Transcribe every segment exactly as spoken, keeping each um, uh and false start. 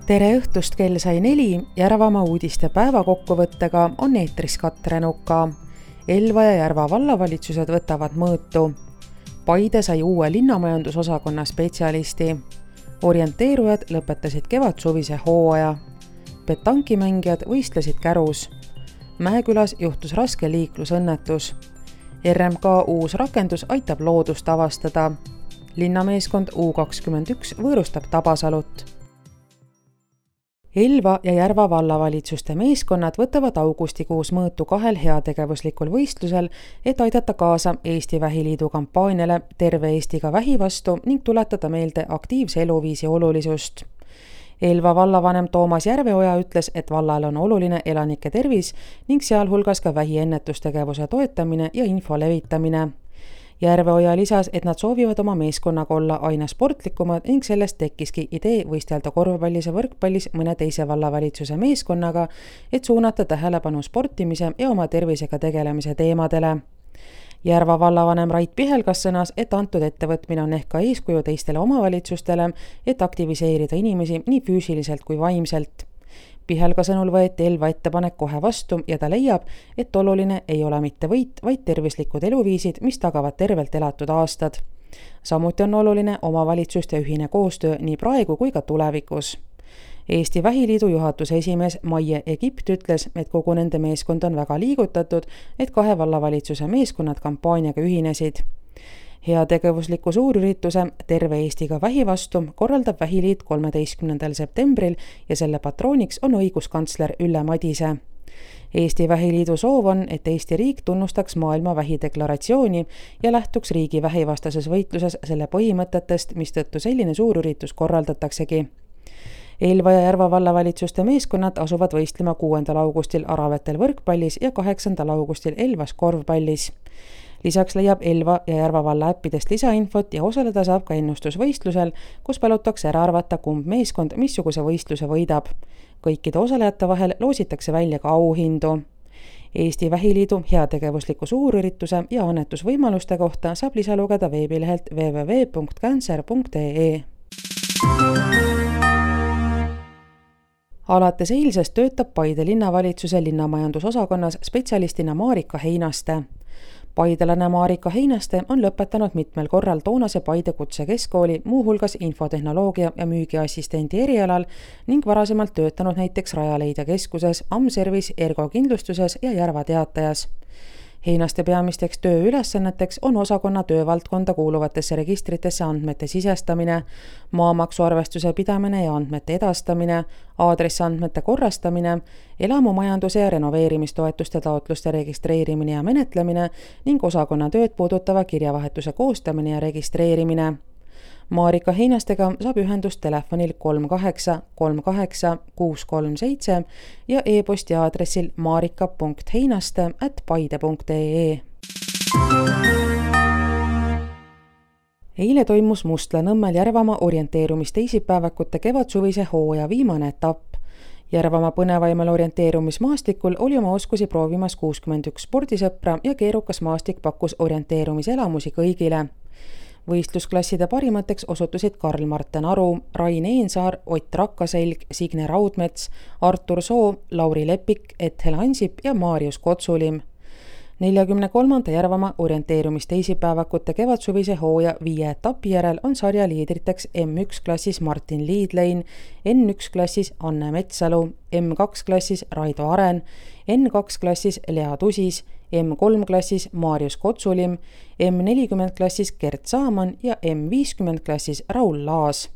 Tere õhtust, kell sai neli, Järvamaa uudiste päevakokkuvõttega on eetris Katre Nuka. Elva ja Järva vallavalitsused võtavad mõõtu. Paide sai uue linnamajandusosakonna spetsialisti. Orienteerujad lõpetasid kevadsuvise hooaja. Petankimängijad võistlesid Kärus. Mäekülas juhtus raske liiklusõnnetus. R M K uus rakendus aitab loodust avastada. Linnameeskond U kakskümmend üks võõrustab Tabasalut. Elva ja Järva vallavalitsuste meeskonnad võtavad augustikuus mõõtu kahel heategevuslikul võistlusel, et aidata kaasa Eesti Vähiliidu kampaaniale Terve Eestiga vähi vastu ning tuletada meelde aktiivse eluviisi olulisust. Elva vallavanem Toomas Järveoja ütles, et vallal on oluline elanike tervis ning sealhulgas ka vähi ennetustegevuse toetamine ja info levitamine. Järveoja lisas, et nad soovivad oma meeskonnaga olla aina sportlikumad ning sellest tekkiski idee võistelda korvpallis ja võrkpallis mõne teise vallavalitsuse meeskonnaga, et suunata tähelepanu sportimise ja oma tervisega tegelemise teemadele. Järva vallavanem Rait Pihelgas sõnas, et antud ettevõtmine on ehk ka eeskuju teistele omavalitsustele, et aktiviseerida inimesi nii füüsiliselt kui vaimselt. Pihelga sõnul võeti Elva ettepanek kohe vastu ja ta leiab, et oluline ei ole mitte võit, vaid tervislikud eluviisid, mis tagavad tervelt elatud aastad. Samuti on oluline omavalitsuste ühine koostöö nii praegu kui ka tulevikus. Eesti Vähiliidu juhatuse esimees Maie Egipt ütles, et kogu nende meeskond on väga liigutatud, et kahe vallavalitsuse meeskonnad kampaaniaga ühinesid. Heategevusliku suurürituse Terve Eestiga vähi vastu korraldab Vähiliit kolmeteistkümnendal septembril ja selle patrooniks on õiguskantsler Ülle Madise. Eesti Vähiliidu soov on, et Eesti riik tunnustaks maailma vähideklaratsiooni ja lähtuks riigi vähivastases võitluses selle põhimõtetest, mistõttu selline suurüritus korraldataksegi. Elva ja Järva vallavalitsuste meeskonnad asuvad võistlema kuuendal augustil Aravetel võrkpallis ja kaheksandal augustil Elvas korvpallis. Lisaks leiab Elva ja Järva valla äppidest lisainfot ja osaleda saab ka ennustusvõistlusel, kus palutakse ära arvata, kumb meeskond missuguse võistluse võidab. Kõikide osalejate vahel loositakse välja ka auhindu. Eesti Vähiliidu heategevusliku suurürituse ja annetusvõimaluste kohta saab lisa lugeda veebilehelt w w w punkt cancer punkt e e. Alates eilsest töötab Paide linnavalitsuse linnamajandusosakonnas spetsialistina Marika Heinaste. Paidelane Marika Heinaste on lõpetanud mitmel korral toonase Paide kutsekeskkooli, muuhulgas infotehnoloogia ja müügiassistendi erialal ning varasemalt töötanud näiteks Rajaleidja keskuses, Amservis, Ergo kindlustuses ja Järva Teatajas. Heinaste peamisteks tööülesanneteks on osakonna töövaldkonda kuuluvatesse registritesse andmete sisestamine, maamaksuarvestuse pidamine ja andmete edastamine, aadressandmete korrastamine, elamumajanduse ja renoveerimistoetuste taotluste registreerimine ja menetlemine ning osakonna tööd puudutava kirjavahetuse koostamine ja registreerimine. Marika Heinastega saab ühendust telefonil kolm kaheksa kolm kaheksa kuus kolm seitse ja e-posti aadressil marika punkt heinaste at paide punkt e e. Eile toimus Mustlanõmmel Järvamaa orienteerumisteisipäevakute kevadsuvise hooaja viimane etapp. Järvamaa põnevaimal orienteerumismaastikul oli oma oskusi proovimas kuuskümmend üks spordisõpra ja keerukas maastik pakkus orienteerumiselamusi kõigile. Võistlusklasside parimateks osutusid Karl-Marten Aru, Rain Eensaar, Ott Rakkaselg, Signe Raudmets, Artur Soo, Lauri Lepik, Ethel Ansip ja Marius Kotsulim. neljakümne kolmanda Järvamaa orienteerumisteisipäevakute kevadsuvise hooaja viie etapi järel on sarja liidriteks M üks klassis Martin Liidlein, N üks klassis Anne Metsalu, M kaks klassis Raido Aren, N kaks klassis Lea Tusis, M kolm klassis Marius Kotsulim, M nelikümmend klassis Gert Saaman ja M viiskümmend klassis Raul Laas.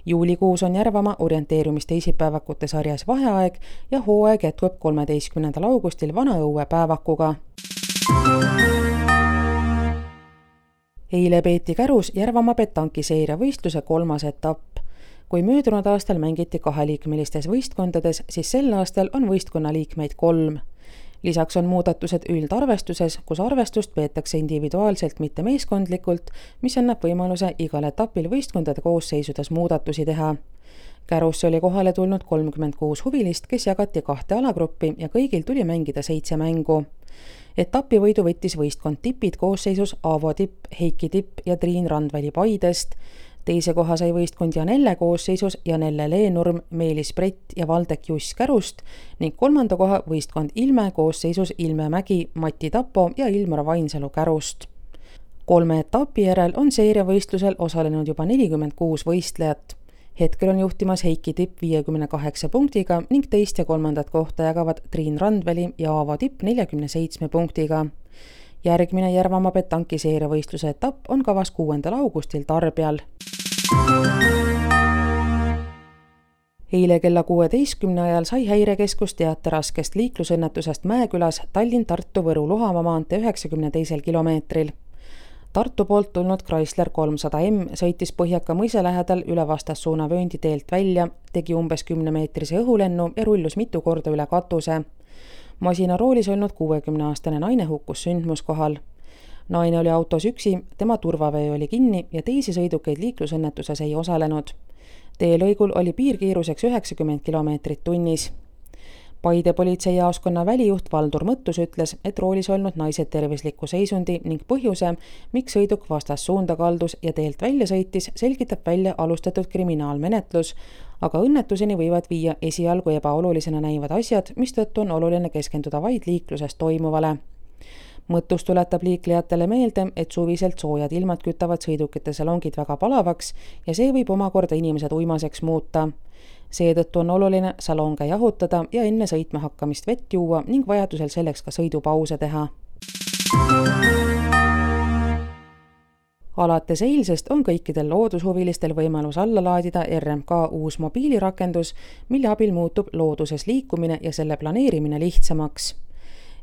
Juulikuus on Järvamaa orienteerumisteisipäevakute sarjas vaheaeg ja hooaeg jätkub kolmeteistkümnendal augustil Vanaõue päevakuga. Eile peeti Kärus Järvamaa petankiseeria võistluse kolmas etapp. Kui möödunud aastal mängiti kaheliikmelistes võistkondades, siis sel aastal on võistkonna liikmeid kolm. Lisaks on muudatused üldarvestuses, kus arvestust peetakse individuaalselt, mitte meeskondlikult, mis annab võimaluse igal etapil võistkondade koosseisudes muudatusi teha. Kärusse oli kohale tulnud kolmkümmend kuus huvilist, kes jagati kahte alagruppi ja kõigil tuli mängida seitse mängu. Etapi võidu võttis võistkond Tipid koosseisus Aavo Tipp, Heiki Tipp ja Triin Randväli Paidest, Teise koha sai võistkond Janelle koosseisus Janelle Leenurm, Meelis Brett ja Valdek Juss Kärust ning kolmanda koha võistkond Ilme koosseisus Ilme Mägi, Mati Tapo ja Ilmar Vainsalu Kärust. Kolme etapi järel on seeriavõistlusel osalenud juba nelikümmend kuus võistlejat. Hetkel on juhtimas Heiki Tipp viiekümne kaheksa punktiga ning teist ja kolmandat kohta jagavad Triin Randveli ja Aavo Tipp neljakümne seitsme punktiga. Järgmine Järvamaa petanki seeriavõistluse etapp on kavas kuuendal augustil Tarbjal. Eile kella kuueteistkümne ajal sai Häirekeskus teate raskest liiklusõnnetusest Mäekülas Tallinn-Tartu-Võru-Luhamaa maantee üheksakümne teisel kilomeetril. Tartu poolt tulnud Chrysler kolmsada M sõitis Põhjaka mõisa lähedal üle vastassuuna vööndi teelt välja, tegi umbes kümnemeetrise õhulennu ja rullus mitu korda üle katuse. Masina roolis olnud kuuekümneaastane naine hukkus sündmuskohal. Naine oli autos üksi, tema turvavöö oli kinni ja teisi sõidukeid liiklusõnnetuses ei osalenud. Teelõigul oli piirkiiruseks üheksakümmend kilomeetrit tunnis. Paide politseijaoskonna välijuht Valdur Mõttus ütles, et roolis olnud naise tervisliku seisundi ning põhjuse, miks sõiduk vastas suunda kaldus ja teelt välja sõitis, selgitab välja alustatud kriminaalmenetlus, aga õnnetuseni võivad viia esialgu ebaolulisena näivad asjad, mistõttu on oluline keskenduda vaid liikluses toimuvale. Mõttus tuletab liiklejatele meelde, et suviselt soojad ilmad kütavad sõidukite salongid väga palavaks ja see võib omakorda inimesed uimaseks muuta. Seetõttu on oluline salonge jahutada ja enne sõitma hakkamist vett juua ning vajadusel selleks ka sõidupause teha. Alates eilsest on kõikidel loodushuvilistel võimalus alla laadida R M K uus mobiilirakendus, mille abil muutub looduses liikumine ja selle planeerimine lihtsamaks.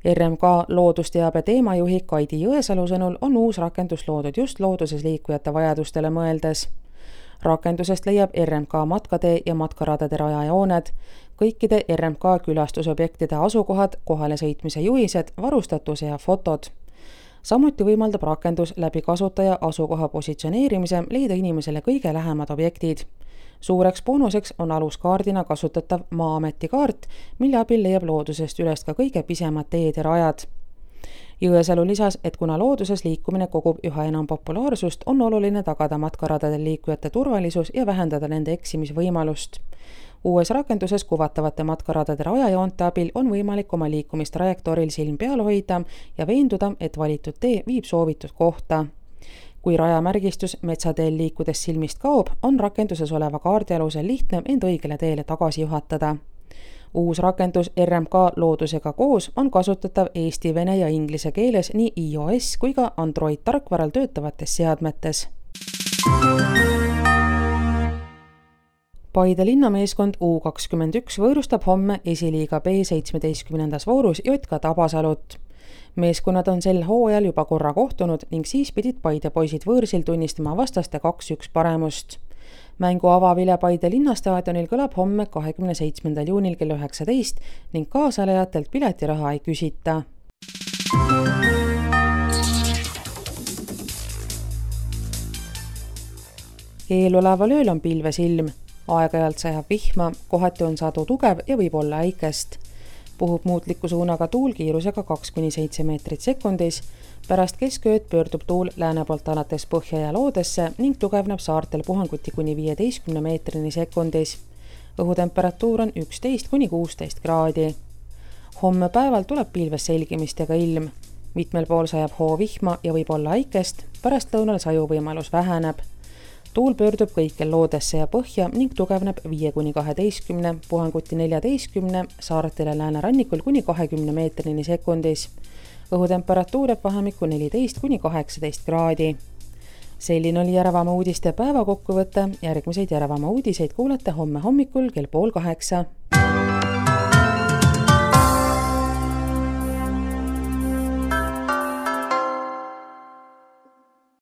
R M K loodusteabe teemajuhi Kaidi Jõesalu sõnul on uus rakendus loodud just looduses liikujate vajadustele mõeldes. Rakendusest leiab R M K matkatee ja matkaradade rajajooned, kõikide R M K külastusobjektide asukohad, kohale sõitmise juhised, varustatuse ja fotod. Samuti võimaldab rakendus läbi kasutaja asukoha positsioneerimise leida inimesele kõige lähemad objektid. Suureks boonuseks on aluskaardina kasutatav Maa-ameti kaart, mille abil leiab loodusest üles ka kõige pisemad teed ja rajad. Jõesalu lisas, et kuna looduses liikumine kogub üha enam populaarsust, on oluline tagada matkaradadel liikujate turvalisus ja vähendada nende eksimisvõimalust. Uues rakenduses kuvatavate matkaradade rajajoonte abil on võimalik oma liikumist trajektooril silm peal hoida ja veenduda, et valitud tee viib soovitud kohta. Kui rajamärgistus metsateel liikudes silmist kaob, on rakenduses oleva kaardi alusel lihtne end õigele teele tagasi juhatada. Uus rakendus R M K loodusega koos on kasutatav eesti, vene ja inglise keeles nii iOS kui ka Android tarkvaral töötavates seadmetes. Paide linnameeskond U kakskümmend üks võõrustab homme esiliiga B seitsmeteistkümnendas voorus J K Tabasalut. Meeskonnad on sel hooajal juba korra kohtunud ning siis pidid Paide poisid võõrsil tunnistama vastaste kaks üks paremust. Mängu avavile Paide linnastaadionil kõlab homme kahekümne seitsmendal juunil kell üheksateist ning kaasalejatelt piletiraha ei küsita. Eeloleval ööl on pilves ilm. Aeg-ajalt sajab vihma, kohati on sadu tugev ja võib olla äikest. Puhub muutliku suunaga tuul kiirusega kaks kuni seitse meetrit sekundis. Pärast keskööd pöördub tuul lääne poolt alates põhja ja loodesse ning tugevneb saartel puhanguti kuni viieteistkümne meetrini sekundis. Õhutemperatuur on üksteist kuni kuusteist kraadi. Homme päeval tuleb pilves selgimist ja ka ilm. Mitmel pool sajab hoovihma ja võib olla äikest, pärast lõunal sajuvõimalus väheneb. Tuul pöördub kõikjal loodesse ja põhja ning tugevneb viie kuni kaheteistkümne, puhanguti neljateistkümne, saartele läänerannikul kuni kahekümne meetrini sekundis. Õhutemperatuur jääb vahemikku neliteist kuni kaheksateist kraadi. Selline oli Järvamaa uudiste päevakokkuvõte. Järgmiseid Järvamaa uudiseid kuulete homme hommikul kell pool kaheksa.